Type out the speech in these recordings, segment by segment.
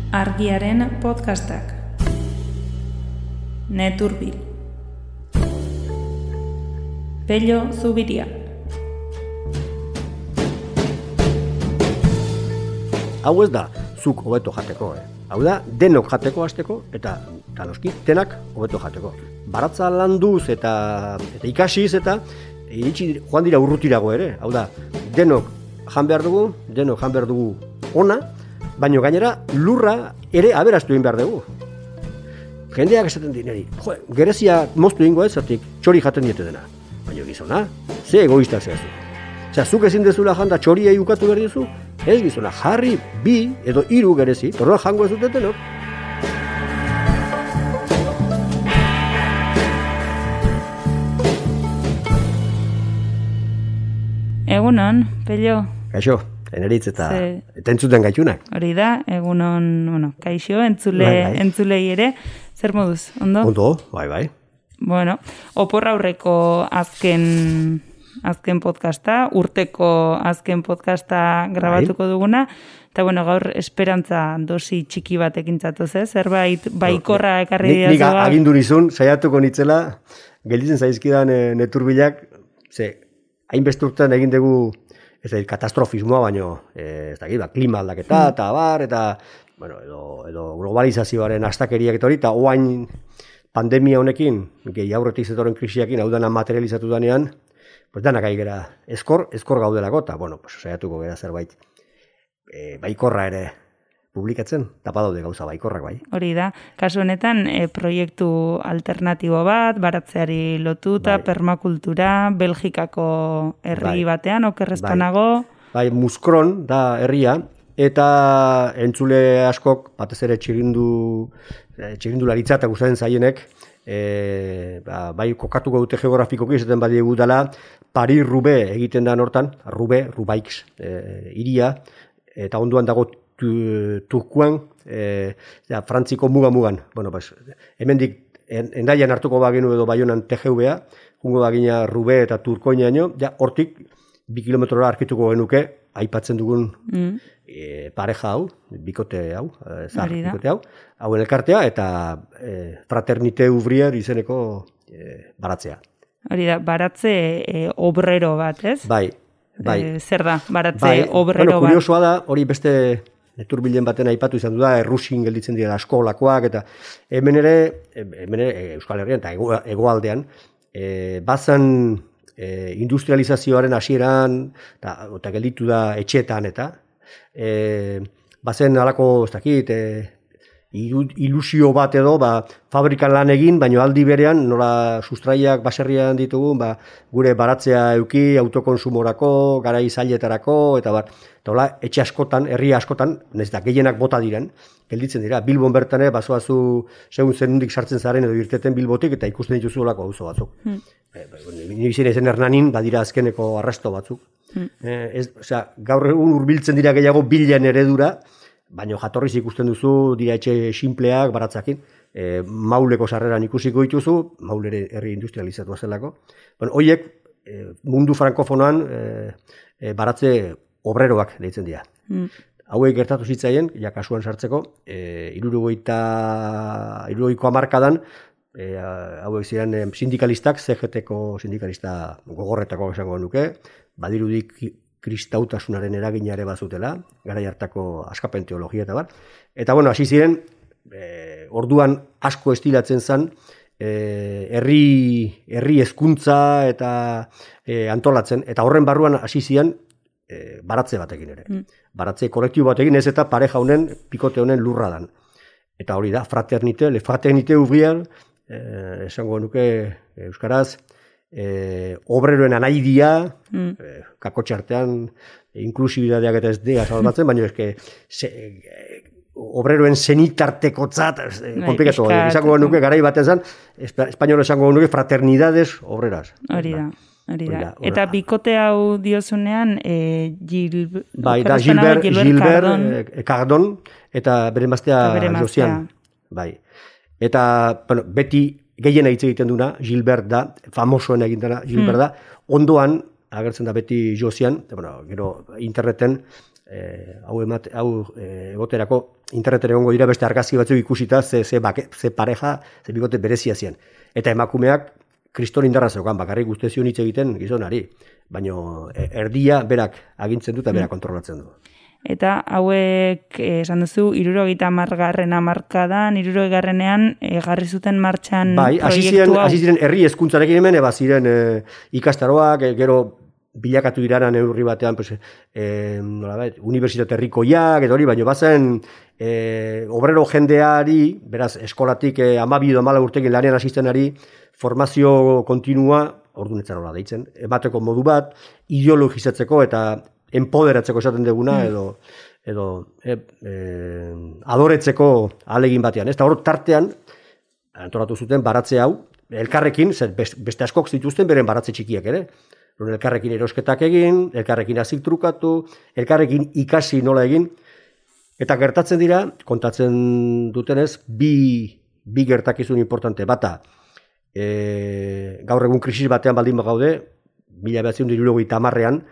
Argiaren podcastak. Neturbil. Pello Zubiria. Hau ez da, zuk hobeto jateko, Hau da, denok jateko hasteko eta noski, denak hobeto jateko. Baratza landuz eta ikasiz eta iritsi joan dira urrutirago ere. Hau da, denok jan behar dugu ona, baino gainera lurra ere aberastu egin behar dugu. Jendeak esaten dineri, gerezia moztu egingo ez, zertik txori jaten diete dena. Baina gizona, ze egoistak zehazu. Osea, zuk ezin dezula janda txoriei ukatu behar dizu, ez gizona, jarri 2 edo 3 gerezi, torroa jango ez dutetenok. Egunon, Pello. Kaixo, eneritz eta entzuten gaitunak. Hori da, egunon, kaixo, entzulei ere. Zer moduz, ondo? Ondo, bai. Bueno, opor aurreko azken podcasta, urteko azken podcasta grabatuko duguna, eta gaur esperantza dosi txiki batekin zatoz, zerbait baikorra ekarri dira. Nik agindu nizun, saiatuko nitzela, gelditzen zaizkidan neturbilak, hainbeste urtean egin dugu, ez da, katastrofismoa, baino, ez da, klima aldaketa, eta bar, eta, edo globalizazioaren astakeriak eta hori, eta oain pandemia honekin, gehi aurretik zetoren krisiakin, hau dana materializatu danean, danak ari gera eskor gaudelako, eta, saiatuko gera zerbait baikorra ere publikatzen, tapa daude gauza baikorrak bai. Hori da, kasu honetan proiektu alternatibo bat, baratzeari lotuta, permakultura, Belgikako herri batean, okerrezpanago. Bai, Muskron da herria, eta entzule askok, batez ere txirindularitza eta gustatzen zaienek, bai kokatuko dute geografikoki, esaten badiegu dela, Paris-Roubaix egiten da hortan, Roubaix hiria, eta onduan dago Turkuan, Frantziko mugan. Hemendik Endaian hartuko bagenu edo Baionan TGV-a, jungo bagina Roubaix eta Turkoinaino, hortik 2 kilometrora arkituko genuke, aipatzen dugun pareja hau, bikote hau, bikote hau, hauen elkartea, eta Fraternité Ouvrière izeneko baratzea. Hori da, baratze obrero bat, ez? Bai. Zer da, baratze obrero bat? Kuriosoa da, hori beste neturbilen baten aipatu izan du da, errusin gelditzen dira askolakoak, eta hemen ere Euskal Herrian eta hegoaldean, bazan industrializazioaren hasieran eta gelditu da etxeetan eta bazen alako, ez dakit, ilusio bat edo, fabrikan lan egin, baino aldi berean, nola sustraiak baserrian ditugu, gure baratzea euki, autokonsumorako, garai zailetarako, eta etxe askotan, herri askotan, nahiz da gehienak bota diren, gelditzen dira, Bilbon bertan, bazoazu segun zenundik sartzen zaren edo irteten Bilbotik, eta ikusten dituzu olako auzo batzuk. Nibizien ezen Hernanin, badira azkeneko arrasto batzuk. Gaur egun hurbiltzen dira gehiago bilen eredura, baina jatorriz ikusten duzu, dira etxe sinpleak, baratzakin, mauleko sarreran ikusiko dituzu, maulere herri industrializatua zelako. Horiek mundu frankofonoan baratze obreroak deitzen dira. Hauek gertatu zitzaien, kasuan sartzeko, 70ko hamarkadan, hauek ziren sindikalistak, CGT-ko sindikalista gogorretako esango nuke, badirudik kristautasunaren eraginare bazutela, garai hartako askapen teologia eta bar. Eta hasi ziren, orduan asko estilatzen zen, herri hezkuntza eta antolatzen, eta horren barruan hasi ziren baratze batekin ere. Baratze kolektibo batekin ez eta pareja honen, pikote honen lurra dan. Eta hori da, Fraternité Ouvrière, esango nuke euskaraz, obreroen anaidia, kakotxartean inklusibidadeak eta ez dira salbatzen, baina obreroen zenitartekotzat, komplikatu, izango nuke garai baten zen, espainola esango nuke fraternidades obreras. Hori da. Eta bikote hau diozunean, Gilbert Cardon, eta bere maztea Josian. Eta beti gehiena hitz egiten duna, Gilbert da, famosoen egin dena Gilbert da, ondoan, agertzen da beti Josian, gero interneten, egoterako interneten egongo dira beste argazki batzuk ikusita ze pareja, ze bikote berezia zien. Eta emakumeak kriston indarra zeukan, bakarrik guztezion hitz egiten gizonari, baina erdia berak agintzen du eta berak kontrolatzen du. Eta hauek, esan duzu, 70. hamarkadan, 60. jarri zuten martxan proiektu hau. Hasi ziren herri hezkuntzarekin hemen, ziren ikastaroak, gero bilakatu iranan neurri batean, unibertsitate herrikoiak, eta hori, baina bazen obrero jendeari, beraz, eskolatik 12 edo 14 urtekin lanean asistenari, formazio kontinua, ordunetzan hola deitzen, emateko modu bat, ideologizatzeko eta empoderatzeko esaten duguna, edo adoretzeko ahalegin batean. Eta hor tartean, antolatu zuten baratze hau, elkarrekin, beste askok zituzten beren baratze txikiak ere, elkarrekin erosketak egin, elkarrekin azik trukatu, elkarrekin ikasi nola egin, eta gertatzen dira, kontatzen dutenez, bi gertakizun importante, bata, gaur egun krisis batean baldin gaude, 1970ean,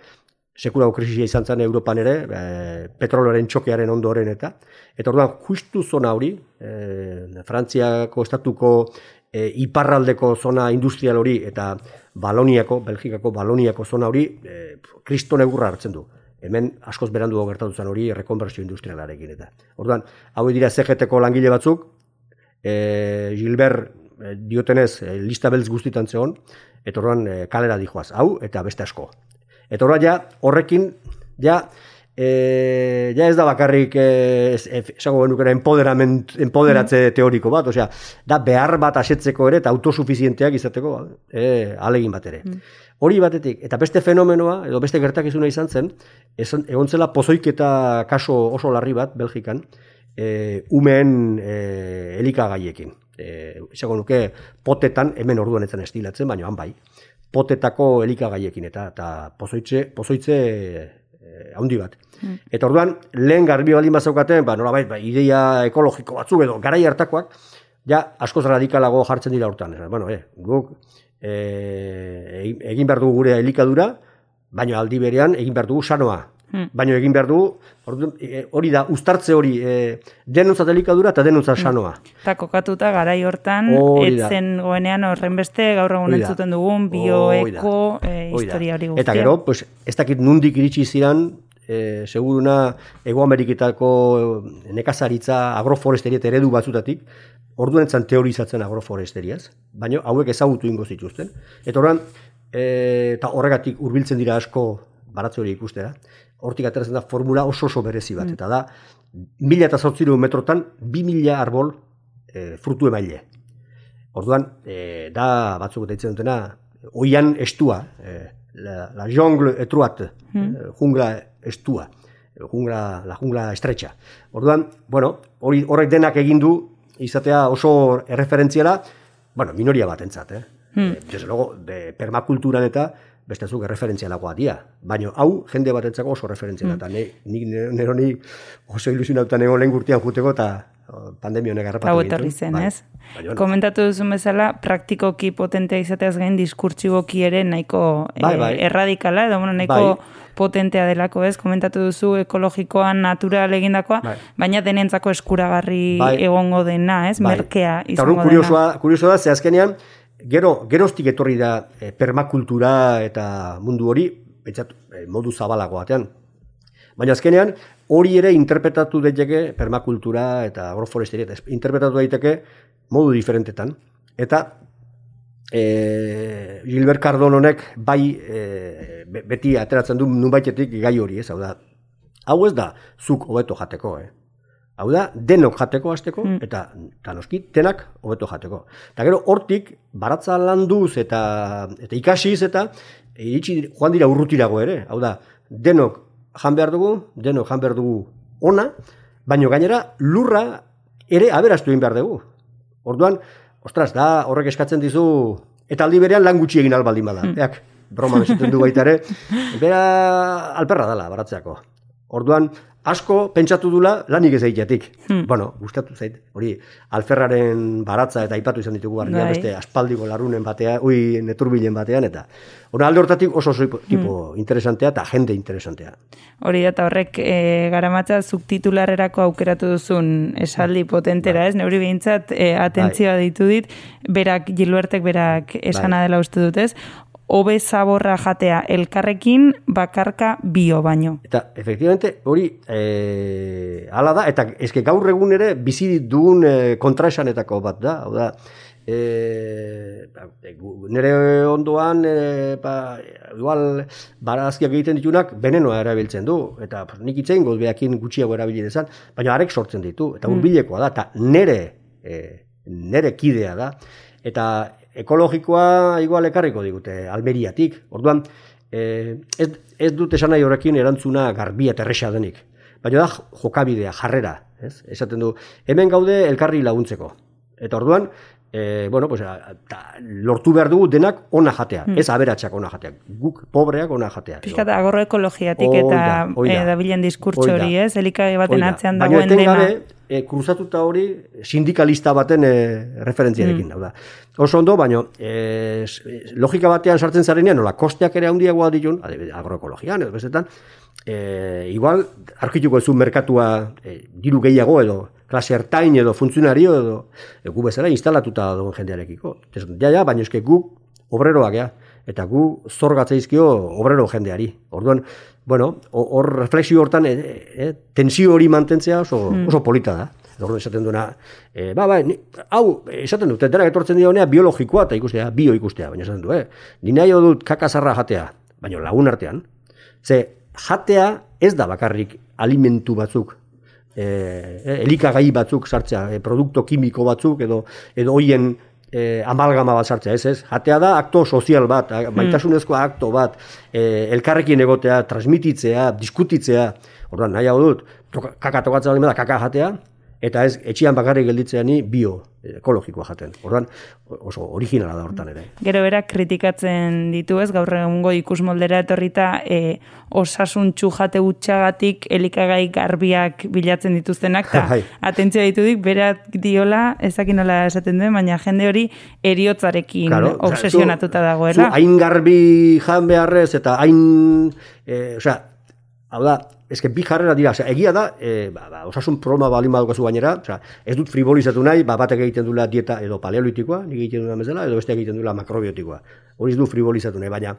sekulako krisia izan zen Europan ere, petroloren txokearen ondoren eta orduan justu zona hori, Frantziako estatuko iparraldeko zona industrial hori eta Belgikako Baloniako zona hori, kriston egurra hartzen du. Hemen askoz berandu gertatu zen hori rekonbertsio industrialarekin eta. Orduan, hau dira CGT-ko langile batzuk, Gilbert diotenez lista beltz guztitan zegoen, eta orduan kalera dijoaz, hau eta beste asko. Eta orduan horrekin, ez da bakarrik esango genukera empoderatze teoriko bat, osea, da behar bat asetzeko ere eta autosufizienteak izateko ahalegin bat ere. Hori batetik, eta beste fenomenoa, edo beste gertakizuna izan zen, egon zela pozoiketa kaso oso larri bat, Belgikan, umeen elikagaiekin. Esango nuke, potetan, hemen orduan etzen estilatzen, baina han bai, potetako elikagaiekin eta pozoitze haundi bat. Eta orduan, lehen garbi baldin bazaukaten, nolabait, ideia ekologiko batzuk edo garai hartakoak, askoz radikalago jartzen dira hortan. Guk egin behar dugu gure elikadura, baina aldi berean egin behar dugu sanoa. Baina egin behar dugu, hori da, uztartze hori, denontzat elikadura eta denontzat sanoa. Eta kokatuta garai hortan, etzen goenean horren beste, gaur egun entzuten dugun, bioeko historia hori guztia. Eta gero, ez dakit nundik iritsi ziren, seguruna Hego Ameriketako nekazaritza agroforesteria eredu batzutatik, orduan etzan teorizatzen agroforesteriaz, baina hauek ezagutu ingo zituzten. Eta orduan, eta horregatik hurbiltzen dira asko baratze hori ikustera, hortik ateratzen da formula oso berezi bat, eta da, 1.800 metrotan 2.000 arbol frutu emaile. Orduan, da batzuk deitzen dutena, oian estua, la jungle etruat, jungla estua, la jungla estrecha. Orduan, horrek denak egin du, izatea oso erreferentziala, minoria bat entzat, desde luego, permakulturan eta bestezuk erreferentzialagoa dia. Baina hau, jende batentzako oso erreferentziala. Eta nironi oso ilusionautan egon lehen gurtian juteko eta pandemia honek harrapatu gintu. Hau etorri zen, ez? Komentatu duzun bezala, praktikoki potentea izateaz gain diskurtsiboki ere nahiko erradikala, edo nahiko potentea delako, ez? Komentatu duzu ekologikoan natural egindakoa, baina denentzako eskuragarri egongo dena, ez? Merkea izango dena. Eta kurioso da, ze azkenean, geroztik etorri da permakultura eta mundu hori, modu zabalago batean. Baina azkenean, hori ere interpretatu daiteke permakultura eta agroforesteria, interpretatu daiteke modu diferentetan. Eta Gilbert Cardononek beti ateratzen du nunbaitetik gai hori, ez? Hau ez da zuk hobeto jateko, Hau da, denok jateko hasteko, eta noski, denak hobeto jateko. Eta gero, hortik, baratza landuz eta ikasiz, eta joan dira urrutirago ere. Hau da, denok jan behar dugu ona, baino gainera, lurra ere aberastu egin behar dugu. Orduan, ostras, da horrek eskatzen dizu, eta aldi berean lan gutxi egin albaldin bada. Broma bezaten du baita ere, bera alperra dela baratzeako. Orduan, asko pentsatu dula lanik ez egitetik. Bueno, gustatu zait, hori alferraren baratza eta aipatu izan ditugu barria, beste aspaldiko larunen batean, neturbilen batean, eta alde hortatik oso tipo interesantea eta jende interesantea. Hori da, eta horrek garamatza subtitularrerako aukeratu duzun esaldi potentera, ez? Neuri behintzat atentzioa ditu dit, Jiluertek berak esana dela uste dut, ez? Hobe zaborra jatea elkarrekin bakarka bio baino. Eta, efectivamente, hori hala da, eta eske gaur egun ere bizi dugun kontraesanetako bat da, hau da, nire ondoan igual barazkiak egiten ditunak venenoa erabiltzen du, eta nik itzein beakin gutxiago erabili dezan, baina arek sortzen ditu, eta hurbilekoa da, eta nire kidea da, eta ekologikoa igual ekarriko digute Almeriatik. Orduan, ez dut esan nahi horrekin erantzuna garbia eta erresa denik. Baina da jokabidea, jarrera. Esaten du, hemen gaude elkarri laguntzeko. Eta orduan, lortu behar dugu denak ona jatea. Ez aberatsak ona jatea. Guk pobreak ona jatea. Pizkat agorro ekologiatik eta dabilen diskurtso hori, ez? Elikagai baten atzean dagoen dena. Baina etengabe, kruzatuta hori sindikalista baten referentziarekin da. Oso ondo, baina logika batean sartzen zarenean, nola kosteak ere handiagoa ditun, agroekologian edo bestetan, igual, arkituko ez du merkatua diru gehiago edo, klase ertain edo funtzionario edo, gu bezala instalatuta dagoen jendearekiko. Baina eske gu obreroak, eta gu zorgatzeizkio obrero jendeari. Orduan, hor reflexio hortan tensio hori mantentzea oso polita da. Orduan esaten duena, hau, esaten dut, denak etortzen dira honea biologikoa eta ikustea, bio ikustea, baina esaten du, ni nahi dut kakazarra jatea, baina lagun artean, ze jatea ez da bakarrik alimentu batzuk, elikagai batzuk sartzea, produkto kimiko batzuk edo hoien amalgama bat sartzea, ez? Jatea da akto sozial bat, maitasunezko akto bat, elkarrekin egotea, transmititzea, diskutitzea, orduan nahi hau dut, kaka tokatzea bali da, kaka jatea, eta ez etxian bakarrik gelditzeani bio ekologikoa jaten. Orduan oso originala da hortan ere. Gero berak kritikatzen ditu, ez, gaur egungo ikusmoldera etorrita osasuntsu jate hutsagatik elikagai garbiak bilatzen dituztenak, eta atentzioa ditudik, berak diola, ezakin nola esaten duen, baina jende hori eriotzarekin obsesionatuta dagoela. Hain garbi jan beharrez, eta hain, hau da, eske bi jarrera dira, egia da, osasun problema balin badukazu gainera, ez dut frivolizatu nahi, batek egiten duela dieta edo paleolitikoa, nik egiten duela bezala, edo beste egiten duela makrobiotikoa. Hori ez du frivolizatu nahi, baina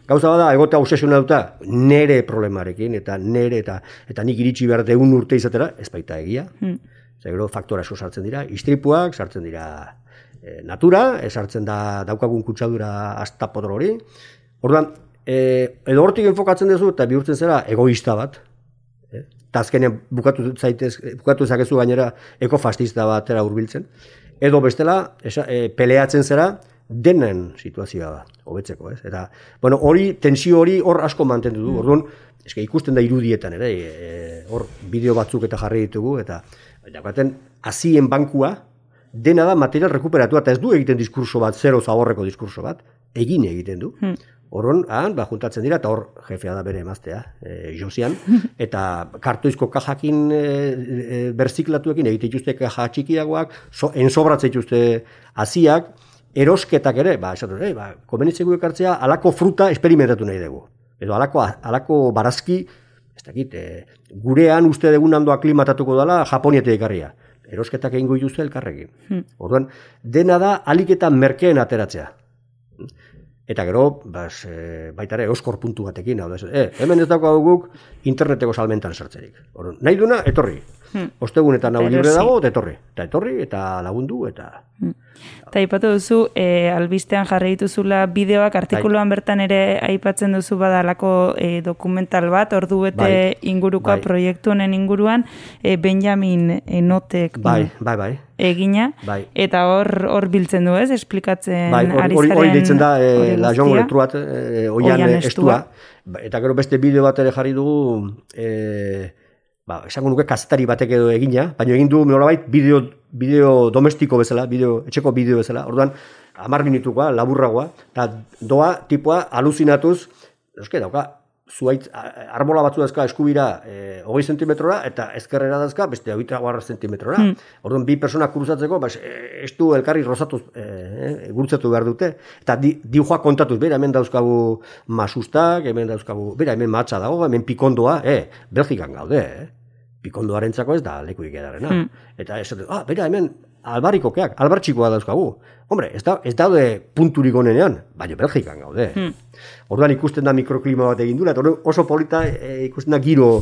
gauza bada, egotea obsesionatuta nere problemarekin, eta nere, eta nik iritsi behar deun urte izatera, ez baita egia. Gero faktora asko sartzen dira, istripuak, sartzen dira natura, sartzen da daukagun kutsadura astapodro hori. Orduan, edo hortik enfokatzen duzu, eta bihurtzen zera egoista bat, eta azkenean bukatu ezakezu gainera ekofascista batera hurbiltzen, edo bestela peleatzen zera denen situazioa hobetzeko, ez? Eta, hori, tensio hori hor asko mantendu du, orduan, ikusten da irudietan ere, hor bideo batzuk eta jarri ditugu, eta hazien bankua, dena da material rekuperatua, eta ez du egiten diskurso bat, zero zaborreko diskurso bat, egiten du. Horron, juntatzen dira, eta hor jefea da bere emaztea, Josian, eta kartoizko kajakin berziklatuekin egite dituzte kaja txikiagoak, ensobratzen dituzte haziak, erosketak ere, komenitzeko ekartzea, alako fruta esperimentatu nahi dugu. Edo alako barazki, ez dakit, gurean uste dugun handoa klimatatuko dela, Japoniatik ekarria. Erosketak egingo dituzte elkarrekin. Orduan, dena da aliketa merkeen ateratzea. Eta gero, baita ere, euskor puntu batekin, hemen ez dago guk interneteko salmentan sartzerik. Nahi duna, etorri. Ostegunetan hau libre dago, eta etorri, eta lagundu, eta... Eta aipatu duzu, albistean jarri dituzula bideoak, artikuluan bertan ere aipatzen duzu badalako dokumental bat, ordubete ingurukoa proiektu honen inguruan, Benjamin Enotek egina, eta hor biltzen du, ez? Esplikatzen ari zaren hori deitzen da, la jongo letruat, oian estua, eta gero beste bideo bat ere jarri dugu, esango nuke kazetari batek edo egina, baina egin du nolabait bideo domestiko bezala, etxeko bideo bezala, orduan 10 minutukoa, laburragoa, eta doa tipoa aluzinatuz, dauka zuaitz, arbola batzu dazka eskubira 20 zentimetrora, eta ezkerrera dazka beste 20 zentimetrora. Orduan, bi persona kruzatzeko, ez du elkarri rozatuz, gurtzatu behar dute. Eta diujoa kontatuz, bera, hemen dauzkagu masustak, hemen dauzkagu, bera, hemen matza dago, hemen pikondoa, Belgikan gaude, Pikondoarentzako ez da lekuik edarena. Eta ez dut, bera, hemen albarrikokeak, albartxikoa dauzkagu. Hombre, ez daude punturik onenean, baina Belgikan gaude. Orduan ikusten da mikroklima bat egin dula, eta oso polita ikusten da giro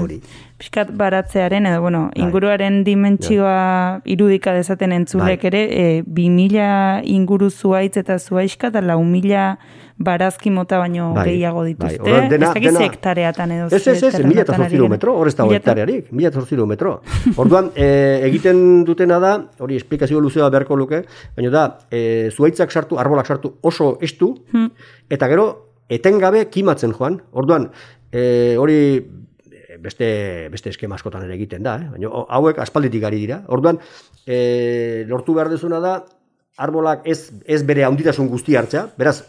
hori. Piskat baratzearen, edo, inguruaren dimentsioa irudika dezaten entzulek ere, 2000 inguru zuaitz eta zuaizka, eta 4.000 barazki mota baino gehiago dituzte. Ez dakiz hektareatan edo. Ez, 1.800 metro, hor ez dago hektarearik, 1.800 metro. Orduan, egiten dutena da, hori esplikazio luzea beharko luke, baina da, zuaitzak sartu, arbolak sartu oso estu, eta gero, etengabe kimatzen joan. Orduan, hori beste eskema askotan ere egiten da, baina hauek aspalditik ari dira. Orduan, lortu behar dezuna da, arbolak ez bere handitasun guzti hartzea, beraz,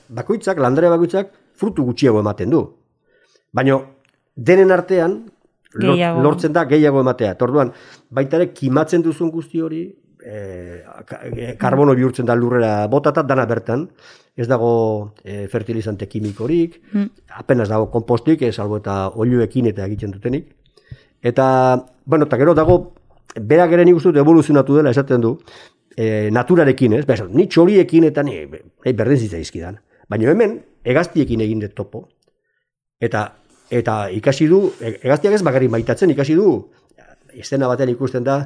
landare bakoitzak, frutu gutxiago ematen du. Baina, denen artean, lortzen da gehiago ematea. Orduan, baita ere, kimatzen duzun guzti hori, karbono bihurtzen da lurrera botata, dana bertan, ez dago fertilizante kimikorik, apenas dago kompostik, salbo eta oiluekin eta egiten dutenik. Eta gero dago, berak ere nik uste dut evoluzionatu dela esaten du, naturarekin, ez? Ni txoriekin eta ni berdin zitzaizkidan. Baina hemen, hegaztiekin egin dut topo. Eta ikasi du, hegaztiak ez bakarrik maitatzen, ikasi du, estena batean ikusten da,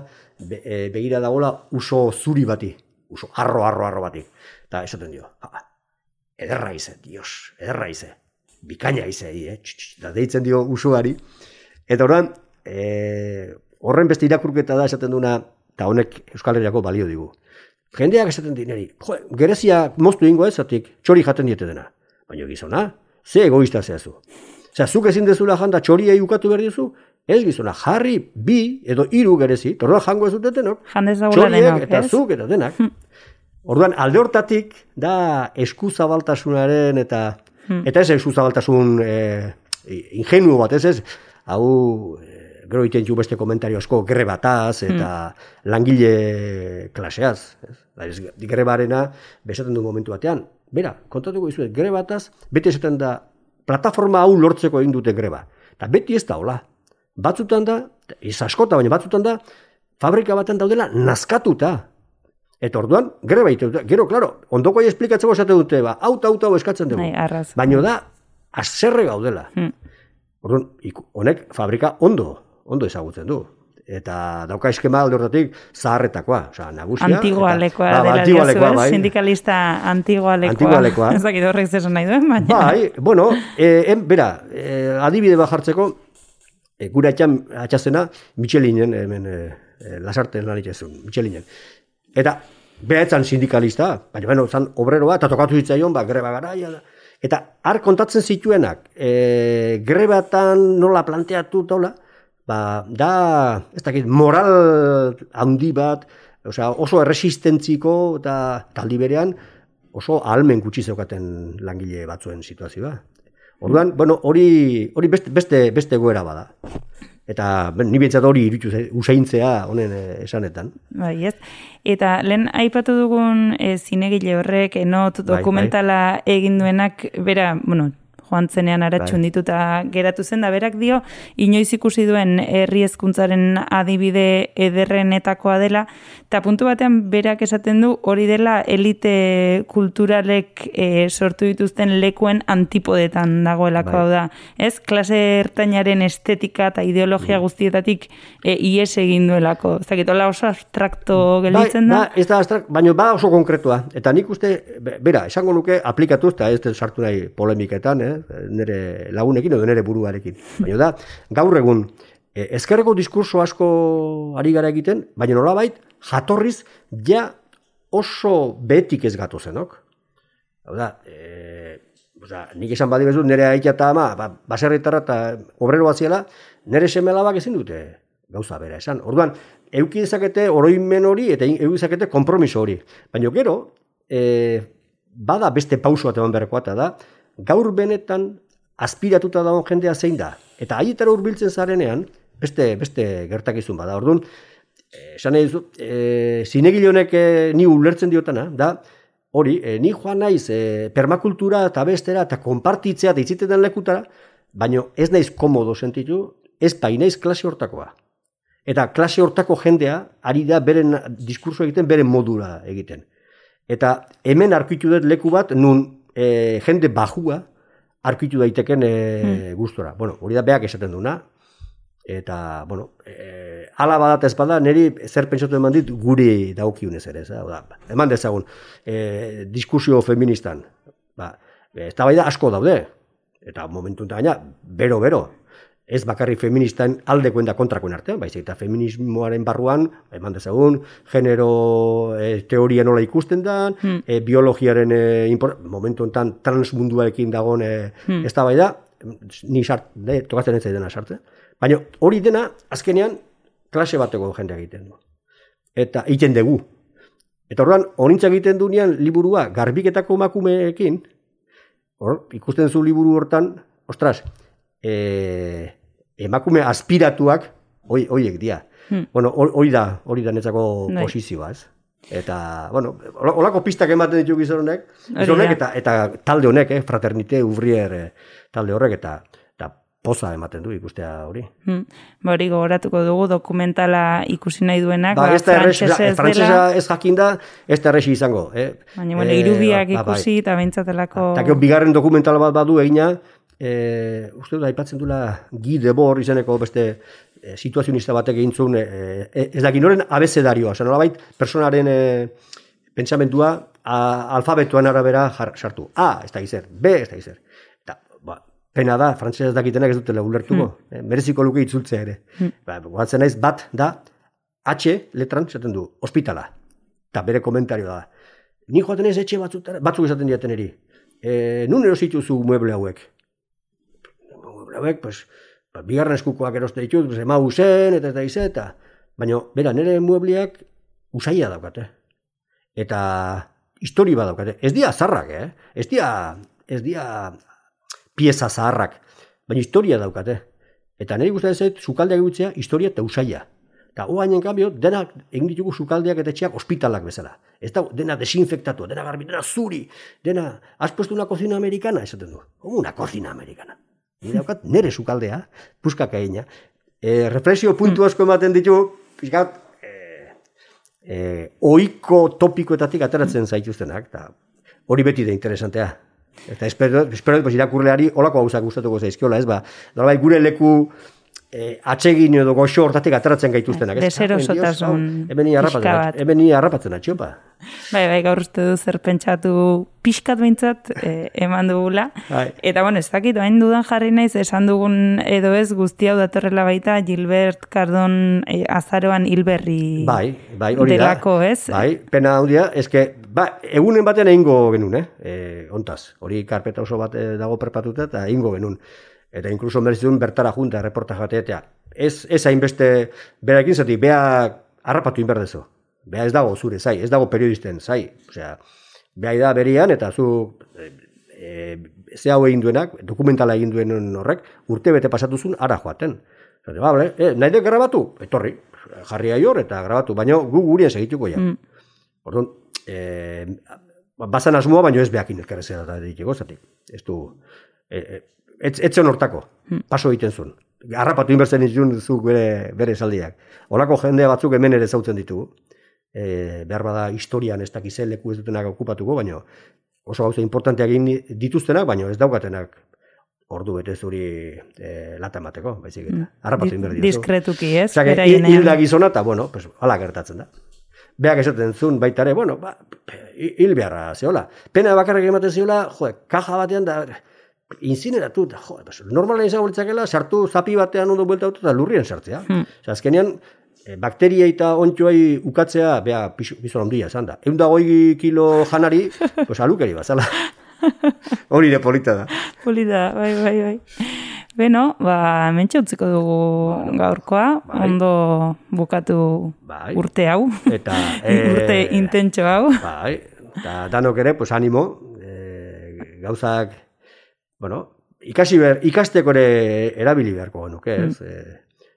begira dagoela uso zuri bati, uso arro bati. Eta esaten dio, ederra ize, dios, ederra ize, bikaina ize, da deitzen dio usoari. Eta horren beste irakurketa da esaten duna, eta honek Euskal Herriako balio digu. Jendeak esaten dineri, gerezia moztu ingo ezatik, txori jaten diete dena. Baina gizona, ze egoista zehazu. Osea, zuk ezin dezula janda txoria ukatu behar dizu, ez gizona, jarri 2 edo 3 gerezi, orduan jango ez dutetenok, txoriek eta zuk eta denak. Orduan, alde hortatik, da eskuzabaltasunaren eta ez eskuzabaltasun ingenuo bat, ez, hau, gero iten ju beste komentario asko grebataz eta langile klaseaz. Grebarena, bezaten du momentu batean. Bera, kontatuko izuet, grebataz, beti esaten da, plataforma hau lortzeko egin dute greba. Eta beti ez da, hola. Batzutan da, ez askota, baina batzutan da, fabrika baten daudela nazkatuta. Eta orduan, greba ite dute. Gero, klaro, ondoko esplikatzeko esate dute, hau eskatzen dugu. Baina da, azerre gaudela. Orduan, honek fabrika ondo ezagutzen du. Eta dauka eskema alde hortatik zaharretakoa, nagusia. Antigualekoa dela diozu, sindikalista antigualekoa. Ez dakit horrek zesan nahi duen, baina. Bera, adibide bat jartzeko, gure atxazena, Michelinen, hemen Lasarten lan itxezun, Michelinen. Eta, beha etzan sindikalista, baina, zan obreroa, eta tokatu zitzaion, greba garaia da. Eta, har kontatzen zituenak, grebatan nola planteatu taula, da, ez dakit, moral handi bat, oso erresistentziko eta taldi berean oso ahalmen gutxi zeukaten langile batzuen situazioa. Orduan, hori beste goera bada. Eta ni behintzat hori irutu usaintzea honen esanetan. Bai, ez. Eta lehen aipatu dugun zinegile horrek, enot dokumentala egin duenak, bera, joan zenean aratxun dituta geratu zen, da berak dio, inoiz ikusi duen herri hezkuntzaren adibide ederrenetakoa dela, eta puntu batean berak esaten du hori dela elite kulturalek sortu dituzten lekuen antipodetan dagoelako hau da. Ez, klase ertainaren estetika eta ideologia guztietatik ies egin duelako. Ez dakit, hola oso abstrakto gelditzen da? Ez da abstrakto, baina oso konkretua. Eta nik uste, bera, esango nuke aplikatuz, eta ez sartu nahi polemiketan, nire lagunekin edo nire buruarekin. Baina da, gaur egun, ezkerreko diskurso asko ari gara egiten, baina nolabait, jatorriz, ja oso behetik ez gato zenok. Hau da, nik esan badi bezut, nire aitea eta ama, baserritarra eta obrero batziela, nire semelabak ezin dute gauza bera esan. Orduan, euki dezakete oroimen hori eta euki dezakete konpromiso hori. Baina gero, bada beste pauso bat eman beharkoa eta da, gaur benetan aspiratuta dagoen jendea zein da. Eta haietara hurbiltzen zarenean, beste gertakizun bada. Orduan, esan nahi duzu, zinegile honek ni ulertzen diotana, da, hori, ni joan naiz permakultura eta bestera eta konpartitzea eta itziteten lekutara, baina ez naiz komodo sentitu, ez bai naiz klase hortakoa. Eta klase hortako jendea ari da beren diskurso egiten, beren modura egiten. Eta hemen arkitu dut leku bat, nun jende bajua arkitu daiteken gustora. Bueno, hori da beak esaten duna. Eta, bueno, ala badat ez bada, niri zer pentsatu eman dit guri daukiunez ere. Eman dezagun, diskusio feministan. Ez da bai da asko daude. Eta momentu gaina, bero. Ez bakarri feministan aldekoen da kontrakoen artean, baizik eta feminismoaren barruan, eman dezagun, genero teoria nola ikusten da, biologiaren momentu enten transmunduarekin dagoen ez da bai da, ni tokatzen ez dena sartzen. Baina hori dena, azkenean, klase bateko jendea egiten du. Eta egiten dugu. Eta orduan, honintzak egiten duenean liburua garbiketako emakumeekin, ikusten zu liburu hortan, ostras, emakume aspiratuak hoiek dira. Bueno, hori da netzako posizioa, ez? Eta, bueno, holako pistak ematen ditu gizon honek, eta talde honek, Fraternite Ouvrier talde horrek, eta poza ematen du ikustea hori. Hori gogoratuko dugu dokumentala ikusi nahi duenak, frantsesa ez jakinda, ez da erresi izango. Baina, irubiak ikusi eta behintzatelako... Eta bigarren dokumental bat badu egina, uste dut aipatzen duela Guy Debord izeneko beste situazionista batek egin zuen, ez da ginoren abezedarioa, nolabait personaren pentsamentua alfabetuan arabera sartu. A, ez da gizer, B, ez da gizer. Pena da, frantsesez dakitenak ez dutela ulertuko, mereziko luke itzultzea ere. Goatzen naiz, bat da, H letran esaten du, ospitala. Eta bere komentario da. Ni joaten ez etxe batzuk esaten diaten eri. Nun erosituzu mueble hauek? Mueble hauek, pues, bigarren eskukoak eroste ditut, ema usen, eta. Baina, bera, nire muebleak usaia daukate. Eta histori bat daukate. Ez dia zarrak, Ez dia pieza zaharrak, baina historia daukate. Eta niri gustatzen zait, sukaldeak egutzea, historia eta usaia. Eta hoainen kambio, denak egin ditugu sukaldeak eta etxeak ospitalak bezala. Ez da, dena desinfektatu, dena garbi, dena zuri, dena, has puesto una cocina americana, esaten du. Una cocina americana. Nire daukat, nire sukaldea, puskak egina. Reflexio puntu asko ematen ditu, pixkat, ohiko topikoetatik ateratzen zaituztenak, eta hori beti da interesantea. Eta espero irakurleari holako gauzak gustatuko zaizkiola, ez ba. Nolabait gure leku atsegin edo goxo hortatik ateratzen gaituztenak, ez? Deserosotasun pixka bat. Hemen ni harrapatzen atxopa. Bai, gaur uste du zer pentsatu pixkat behintzat eman dugula. Eta, bueno, ez dakit, bain dudan jarri naiz, esan dugun edo ez guzti hau datorrela baita Gilbert Cardon azaroan hilberri hori delako, ez? Bai, pena handia, eske, egunen batean egingo genuen, ontaz. Hori karpeta oso bat dago perpatuta eta egingo genuen. Eta inkluso merezitzen bertara junta reportaje bateatea. Ez hainbeste berakin zati, bea harrapatu inberdezu. Bea ez dago zure zai, ez dago periodisten zai. Osea, bea da berian eta zu ze hau egin duenak, dokumentala egin duen horrek, urte bete pasatuzun ara joaten. Nahi dek grabatu? Etorri, jarri aior eta grabatu, baina gu gurien segituko ja. Orduan, bazan asmoa, baina ez beakin elkarrezea da ditiko, zatik. Ez du... Etzen hortako, paso egiten zuen. Harrapatu inbertzen izun zuk bere esaldiak. Olako jendea batzuk hemen ere zautzen ditugu. Behar bada historian ez dakize leku ez dutenak okupatuko, baina oso gauza importanteak egin dituztenak, baina ez daukatenak ordu bete zuri lata emateko, baizik eta. Harrapatu inbertzen dituzu. Diskretuki, ez? Hilda gizona eta, bueno, hala gertatzen da. Beak esaten zuen baita ere, bueno, hil beharra zehola. Pena bakarrik ematen zehola, kaja batean da... Incineratu, normalen izango litzakela, sartu zapi batean ondo buelta auto eta lurrien sartzea. Azkenean, bakteria eta ontxoai ukatzea, bea, bizon ondia, esan da. 120 kilo janari, alukeri bazala. Hori de polita da. Polita, bai. Beno, mentxe utziko dugu gaurkoa, ondo bukatu urte hau, urte intentxo hau. Bai, eta danok ere, animo, gauzak, ikasteko ere erabili beharko genuke, ez?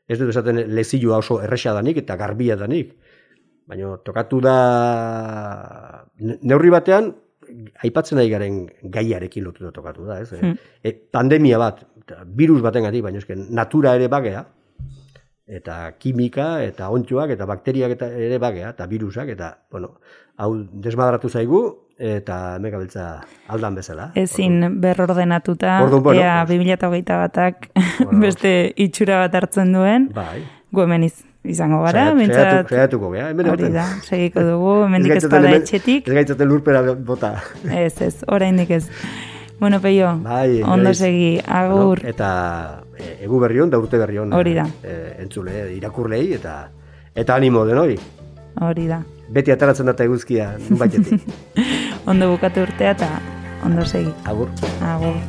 Ez dut esaten lezioa oso erresa danik eta garbia danik, baina tokatu da neurri batean aipatzen ari garen gaiarekin lotuta tokatu da, ez? Pandemia bat, virus batengatik, baina eske natura ere bagea, eta kimika, eta ontxoak, eta bakteriak ere bagea, eta virusak, eta, bueno, hau desmadratu zaigu, eta megabiltza aldan bezala. Ezin berrordenatuta, ea 2021 batak beste itxura bat hartzen duen, gu hemen izango gara, saiatuko gara, hori da, segiko dugu, hemendik ez bada etxetik. Ez gaitzaten lurpera bota. Ez, oraindik ez. Bueno, Peio, ondo segi, agur. Eta egu berri hon, da urte berri hon. Hori da. Entzule, irakurlei, eta animo den hori. Hori da. Beti ataratzen data eguzkia, nun baitetik. Ondo bukatu urtea eta ondo segi. Agur. Agur.